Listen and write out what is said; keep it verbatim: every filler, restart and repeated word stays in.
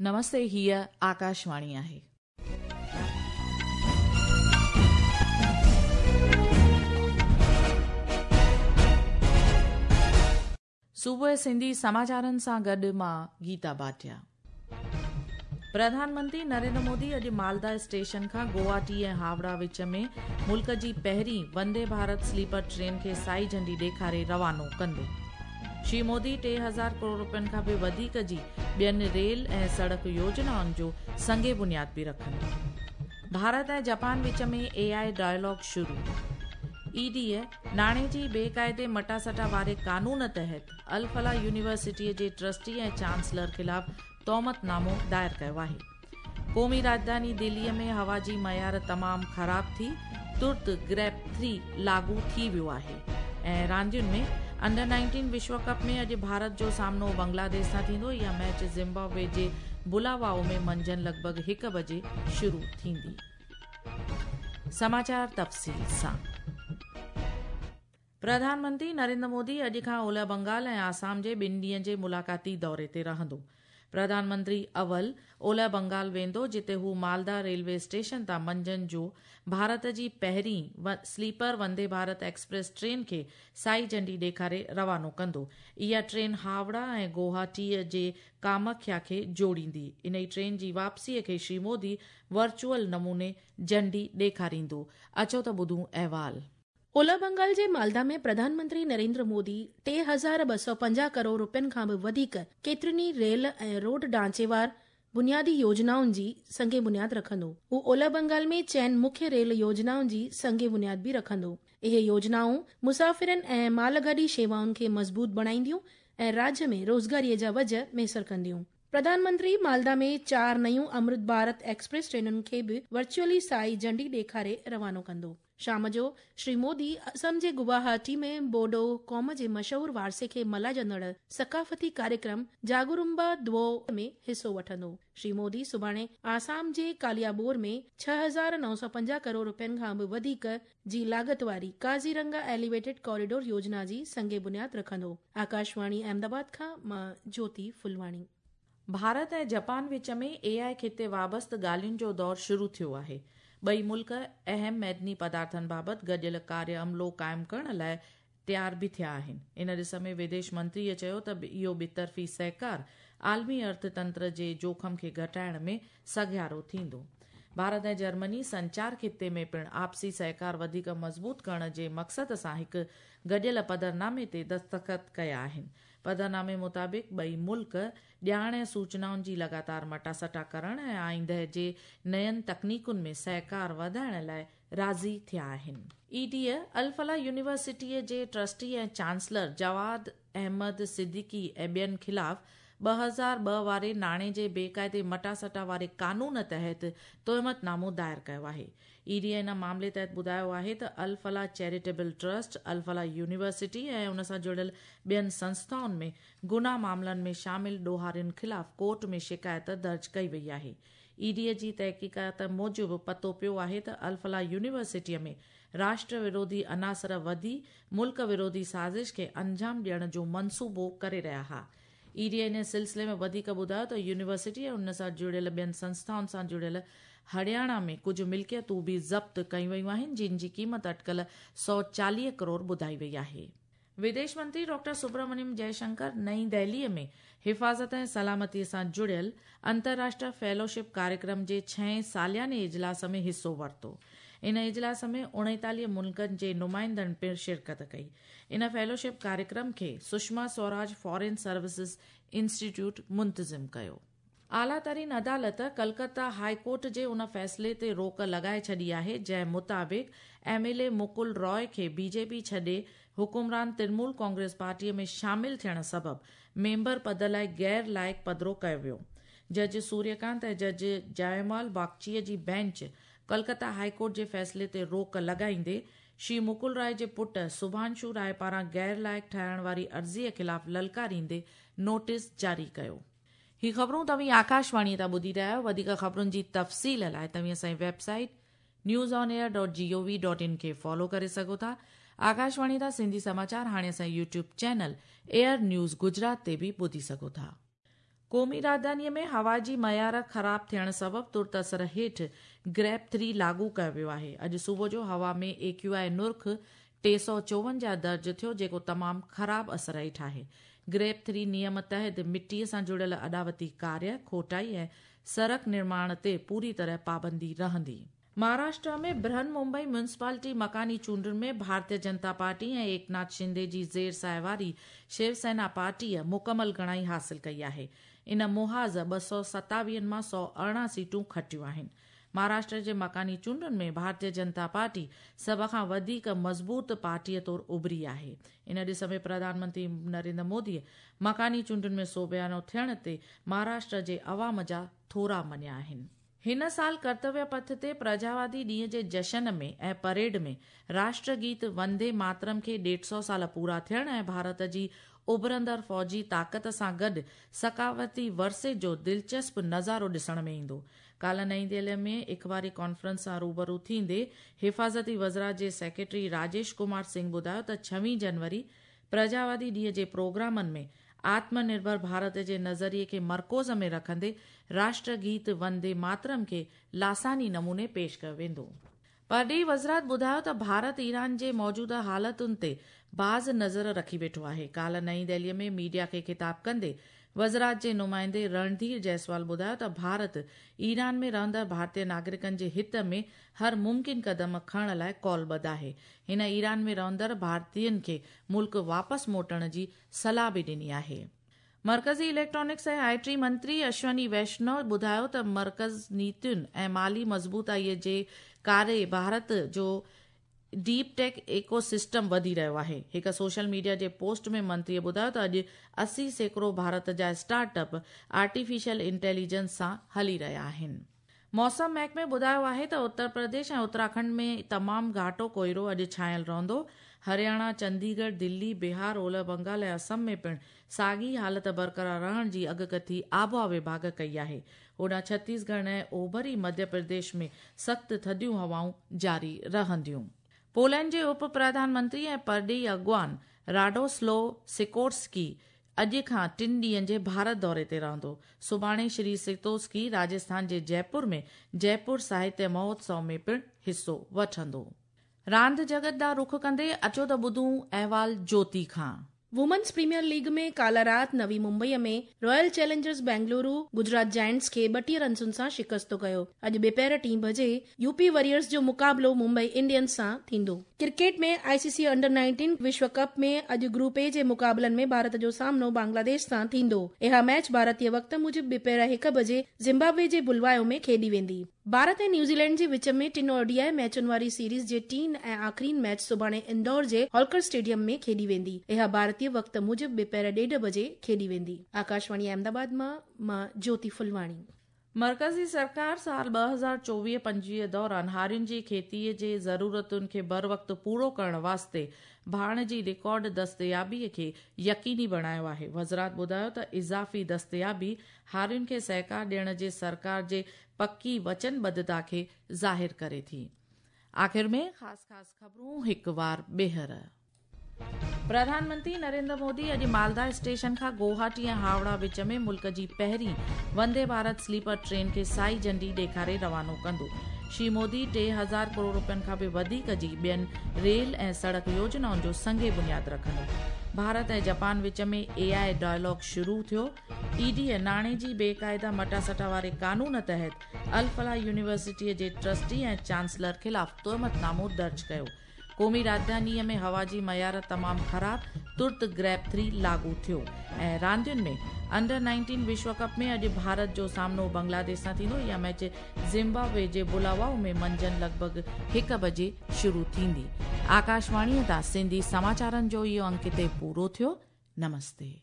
नमस्ते, हीअ आकाशवाणी आहे। सुबुह सिंधी समाचारनि सां गॾु मां गीता भाटिया। प्रधानमंत्री नरेंद्र मोदी अॼु मालदा स्टेशन खां गुवाहाटी ऐं हावड़ा विच में मुल्क जी पहिरीं वंदे भारत स्लीपर ट्रेन खे साई झंडी ॾेखारे रवानो कंदो। श्री मोदी टे हज़ार करोड़ रुपयनि खां बि वधीक जी ॿियनि रेल ऐं सड़क योजनाउनि जो संगे बुनियाद बि रखंदो। भारत ऐं जापान विच में ए I dialogue शुरू। ईडीअ नाणे जी बेक़ाइदे मटासटा वारे कानून तहत अल-फलाह यूनिवर्सिटीअ जे ट्रस्टी ऐं चांसलर ख़िलाफ़ तोहमतनामो दायर कयो आहे। क़ौमी राजधानी दिल्लीअ में हवा जी मयार तमामु ख़राब थी, तुर्त ग्रेप थ्री लागू थी वियो आहे। ऐं रांदियुनि में अंडर नाइनटीन विश्व कप में अॼु भारत जो सामनो बांग्लादेश सां थींदो। इहा मैच ज़िम्बाब्वे जे बुलावाओ में मंझंदि लॻभॻि हिकु बजे शुरू थींदी। समाचार तफ़सील सां। प्रधानमंत्री नरेंद्र मोदी अॼु खां ओलह बंगाल ऐं आसाम जे ॿिनि ॾींहंनि जे मुलाक़ाती दौरे ते रहंदो। प्रधानमंत्री अवल ओलह बंगाल वेंदो, जिते हू मालदा रेलवे स्टेशन तां मंझंदि जो भारत जी पहिरीं sleeper Vande Bharat express train खे साई झंडी ॾेखारे रवानो कंदो। इहा ट्रेन हावड़ा ऐं गुवाहाटीअ जे कामाख्या खे जोड़ींदी। इन ट्रेन जी वापसीअ खे श्री मोदी वर्चुअल नमूने झंडी ॾेखारींदो। अचो त ॿुधूं अहवाल। ओलह बंगाल जे मालदा में प्रधानमंत्री नरेंद्र मोदी टे हज़ार ॿ सौ पंजाह करोड़ रुपयनि खां बि वधीक केतिरनि ई रेल ऐं रोड ढांचेवार बुनियादी योजनाउनि जी संगे बुनियाद रखंदो। हू ओलह बंगाल में चइनि मुख्य रेल योजनाउनि जी संगे बुनियाद बि रखंदो। इहे योजनाऊं मुसाफ़िरनि ऐं मालगाॾी शेवाउनि खे मज़बूत बणाईंदियूं ऐं राज्य में रोज़गारीअ जा वजह मयसर कंदियूं। प्रधानमंत्री मालदा में चार नयूं अमृत भारत एक्सप्रेस ट्रेनुनि खे बि वर्चुअली साई झंडी ॾेखारे रवानो कंदो। शाम जो श्री मोदी असम जे गुवाहाटी में बोडो क़ौम जे मशहूर वारसे खे मल्हाइजंदड़ सकाफ़ती कार्यक्रम जागुरुम्बा दवो में हिसो वठंदो। श्री मोदी सुभाणे आसाम जे कालियाबोर में छह हज़ार नौ सौ पंजाह करोड़ रुपयनि खां बि वधीक जी लागत वारी काजीरंगा एलिवेटेड कॉरिडोर योजना जी संगे बुनियाद रखंदो। आकाशवाणी अहमदाबाद खां मां ज्योति फुलवाणी। भारत ऐं जापान विच में ए आई खिते वाबस्त ॻाल्हियुनि जो दौर शुरू थियो आहे। ॿई मुल्क अहम मैदनी पदार्थनि बाबति गॾियल कार्य अमलो क़ाइमु करण लाइ तयार बि थिया आहिनि। इन ॾिस में विदेश मंत्रीअ चयो त इहो ॿितरफ़ी सहकार आलमी अर्थतंत्र जे जोखम खे घटाइण में सघियारो थींदो। भारत ऐं जर्मनी संचार खिते में पिणु आपसी सहकार वधीक मज़बूत करण जे मक़सद सां हिकु गॾियल पधरनामे ते दस्तख़त कया आहिनि। पधरनामे मुताबिक़ ॿई मुल्क ॼाण ऐं सूचनाउनि जी लगातार मटासटा करण ऐं आईंदे जे नयनि तकनीकुनि में सहकार वधाइण लाइ राज़ी थिया आहिनि। ईडीअ अल-फलाह यूनिवर्सिटीअ जे ट्रस्टी ऐं चांसलर जवाद अहमद सिद्दीकी ऐं ॿियनि ख़िलाफ़ ॿ हज़ार ॿ वारे नाणे जे बेक़ाइदे मटासटा वारे कानून तहत तोहमतनामो दायर कयो आहे। ईडीअ इन मामले तहत ॿुधायो आहे त Al Falah charitable trust, Al Falah university ऐं उन सां जुड़ियल ॿियनि संस्थाउनि में गुनाह मामलनि में शामिल ॾोहारियुनि ख़िलाफ़ कोर्ट में शिकायत दर्ज कई वई आहे। ईडीअ जी तहक़ीक़ात मूजिबि पतो पियो आहे त अल-फलाह यूनिवर्सिटीअ में राष्ट्र विरोधी अनासर वधी मुल्क विरोधी साज़िश खे अंजाम ॾियण जो मनसूबो करे रहिया हुआ। ईडीअ इन सिलसिले में वधीक ॿुधायो त यूनिवर्सिटी ऐं उन सां जुड़ियल ॿियनि संस्थाउनि सां जुड़ियल हरियाणा में कुझु मिल्कियतूं बि ज़ब्त कयूं वयूं आहिनि, जिन जी क़ीमत अटकल सौ चालीह करोड़ ॿुधाई वई आहे। विदेश मंत्री डॉक्टर सुब्रमण्यम जयशंकर नई दिल्लीअ में हिफ़ाज़त ऐं सलामतीअ सां जुड़ियल अंतर्राष्ट्रीय फेलोशिप कार्यक्रम जे छहें सालियाने इजलास में हिसो वरितो। इन इजलास में उणेतालीह मुल्कनि जे नुमाइंदनि पिणु शिरकत कई। इन फेलोशिप कार्यक्रम खे Sushma Swaraj foreign services institute मुंतज़िम कयो। आला तरीन अदालत कलकत्ता हाई कोर्ट जे उन फ़ैसिले ते रोक लॻाए छॾी आहे, जंहिं मुताबिक़ M L A Mukul Roy खे बीजेपी छॾे हुकुमरान तृणमूल कांग्रेस पार्टीअ में शामिल थियण सबबि मेंबर पद लाइ गैर लाइक़ पधिरो कयो वियो। जज सूर्यकांत ऐं जज जयमाल बागचीअ जी बेंच कलकत्ता हाई कोर्ट जे फ़ैसिले ते रोक लॻाईंदे श्री मुकुल राय जे पुट सुभांशु राय पारां गैर लाइक़ ठाहिण वारी अर्ज़ीअ ख़िलाफ़ ललकारींदे नोटिस जारी कयो। ही ख़बरूं तव्हीं आकाशवाणीअ तां ॿुधी रहिया आहियो। वधीक ख़बरुनि जी तफ़सील लाइ तव्हीं असांजी website news on air dot G O V dot in खे फॉलो करे सघो था। आकाशवाणी तां सिंधी समाचार हाणे असांजे YouTube channel air news Gujarat ते बि ॿुधी सघो था। क़ौमी राजधानीअ में हवा जी मयार ख़राब थियण सबबि तुर्त असर हेठि ग्रैप थ्री लागू कयो वियो आहे। अॼु सुबुह जो हवा में ए क्यू I नुर्ख़ टे सौ चोवंजाह दर्ज थियो, जेको तमामु ख़राब असर हेठि आहे। ग्रैप थ्री नियम तहत मिटीअ सां जुड़ियल अॾावती कार्य, खोटाई ऐं सड़क निर्माण ते पूरी तरह पाबंदी रहंदी। महाराष्ट्र में बृहन मुंबई म्युनिसिपालिटी मकानी चूंडुनि में भारतीय जनता पार्टी ऐं एकनाथ शिंदे जी ज़ेर साहिवारी शिवसेना पार्टीअ मुकमल गणाई हासिल कई आहे। इन मुहाज़ ॿ सौ सतावीहनि मां सौ अरिड़हं सीटूं खटियूं आहिनि। महाराष्ट्र जे मकानी चूंडुनि में भारतीय जनता पार्टी सभ खां वधीक मज़बूत पार्टीअ तौर उभरी आहे। इन ॾिस में प्रधानमंत्री नरेंद्र मोदीअ मकानी चूंडुनि में सोबियानो थियण ते महाराष्ट्र जे अवाम जा थोरा मञिया आहिनि। हिन साल कर्तव्य पथ ते प्रजावादी ॾींहं जे जशन में ऐं परेड में राष्ट्रगीत वंदे मातरम खे ॾेढ सौ साल पूरा थियण ऐं भारत जी उभरंदड़ फ़ौजी ताक़त सां गॾु सकावती वरसे जो दिलचस्प नज़ारो ॾिसण में ईंदो। काल्ह नई दिल्ली में अख़बारी कॉन्फ्रेंस सां रूबरू थींदे हिफाज़ती वज़रात जे सेक्रेटरी राजेश कुमार सिंह ॿुधायो त छवीह जनवरी प्रजावादी ॾींहं जे प्रोग्रामनि में आत्मनिर्भर भारत जे नज़रिए खे मरकूज़ में रखंदे राष्ट्रगीत वंदे मातरम खे लासानी नमूने पेश कयो वेंदो। परॾेही वज़रात ॿुधायो त भारत ईरान जे मौजूदा हालतुनि ते बाज़ नज़र रखी वेठो आहे। काल्ह नई दिल्लीअ में मीडिया खे ख़िताब कंदे वज़रात जे नुमाइंदे रणधीर जायसवाल ॿुधायो त भारत ईरान में रहंदड़ भारतीय नागरिकनि जे हित में हर मुमकिन क़दम खणण लाइ कौलबद्ध आहे। हिन ईरान में रहंदड़ भारतीयनि खे मुल्क वापसि मोटण जी सलाह बि ॾिनी आहे। मर्कज़ी इलेक्ट्रॉनिक्स ऐं I T मंत्री अश्वनी वैष्णव ॿुधायो त मर्कज़ नीतियुनि ऐं माली मज़बूताईअ जे करे भारत जो डीप टेक इकोसिस्टम वधी रहियो आहे। हिकु सोशल मीडिया जे पोस्ट में मंत्रीअ ॿुधायो त अॼु अस्सी सैकड़ो भारत जा स्टार्टअप आर्टिफिशियल इंटेलिजेंस सां हली रहिया आहिनि। मौसम महकमे ॿुधायो आहे त उत्तर प्रदेश ऐं उत्तराखंड में तमामु घाटो कोइरो अॼु छायल रहंदो। हरियाणा, चंडीगढ़, दिल्ली, बिहार, ओलह बंगाल ऐं असम में पिणु साॻी हालत बरक़रार रहण जी अॻकथी आबहावा विभाग कई आहे। होॾां छत्तीसगढ़ ऐं ओभरी मध्य प्रदेश में सख़्तु थधियूं हवाऊं जारी रहंदियूं। पोलैंड जे उप प्रधानमंत्री ऐं परॾेही अॻुवान राडोस्लो सिकोर्स्की अॼु खां टिनि ॾींहंनि जे भारत दौरे ते रहंदो। सुभाणे श्री सिकोर्स्की राजस्थान जे जयपुर में जयपुर साहित्य महोत्सव में पिणु हिसो वठंदो। रांदि जगत ॾांहुं रुख कंदे अचो त ॿुधूं अहवाल ज्योति खां। वुमेन्स प्रीमियर लीग में काल्ह राति नवी मुंबईअ में Royal Challengers Bengaluru Gujarat Giants खे ॿटीह रनसुनि सां शिकस्त कयो। अॼु ॿिपहर टी बजे यूपी वॉरियर्स जो मुक़ाबिलो मुंबई इंडियंस सां थींदो। क्रिकेट में आईसीसी अंडर नाइनटीन विश्व कप में अॼु ग्रुप ए जे मुक़ाबलनि में भारत जो सामनो बांग्लादेश सां थींदो। इहा मैच भारतीय वक़्त मूजिबि ॿिपहर हिकु बजे ज़िम्बाब्वे जे बुलवायो में खेॾी वेंदी। भारत ऐं न्यूज़ीलैंड जे विच में टिनि ओडीआई मैचुनि वारी सीरीज़ जे टीन ऐं आख़िरीन मैच सुभाणे इंदौर जे होलकर स्टेडियम में खेॾी वेंदी। इहा भारतीय वक़्त मूजिबि ॿिपहर ॾेढ बजे खेॾी वेंदी। आकाशवाणी अहमदाबाद मां मां ज्योति फुलवाणी। मर्कज़ी सरकार साल ॿ हज़ार चोवीह पंजवीह दौरान हारियुनि जी खेतीअ जे ज़रूरतुनि खे बर वक़्तु पूरो करण वास्ते भाण जी रिकॉर्ड दस्तयाबीअ खे यकीनी बणायो आहे। वज़रात ॿुधायो त इज़ाफ़ी दस्तयाबी हारियुनि खे सहकार ॾियण जे सरकार जे पकी वचनबद्धता खे ज़ाहिर करे थी। आख़िर में ख़ासि ख़ासि ख़बरूं हिकु वार ॿीहर। प्रधानमंत्री नरेंद्र मोदी अॼु मालदा स्टेशन खां गुवाहाटी ऐं हावड़ा विच में मुल्क जी पहिरीं वंदे भारत स्लीपर ट्रेन खे साई झंडी ॾेखारे रवानो कंदो। श्री मोदी टे हज़ार करोड़ रुपयनि खां बि वधीक जी ॿियनि रेल ऐं सड़क योजनाउनि जो संगे बुनियाद रखंदो। भारत ऐं जापान विच में ए I dialogue शुरू थियो। ईडी नाणे जी बेक़ाइदा मटासटा वारे कानून तहत अल-फलाह यूनिवर्सिटीअ जे ट्रस्टी ऐं चांसलर ख़िलाफ़ तोहमतनामो दर्ज कयो। क़ौमी राजधानीअ में हवा जी मयार तमामु ख़राब, तुर्त ग्रैप थ्री लागू थियो। ऐं रांदियुनि में अंडर नाइनटीन विश्व कप में अॼु भारत जो सामनो बांग्लादेश सां थींदो। इहा मैच ज़िम्बाब्वे जे बुलावाओ में मंझंदि लॻभॻि हिकु बजे शुरू थींदी। आकाशवाणीअ तां सिंधी समाचारनि जो इहो अंक हिते पूरो थियो। नमस्ते।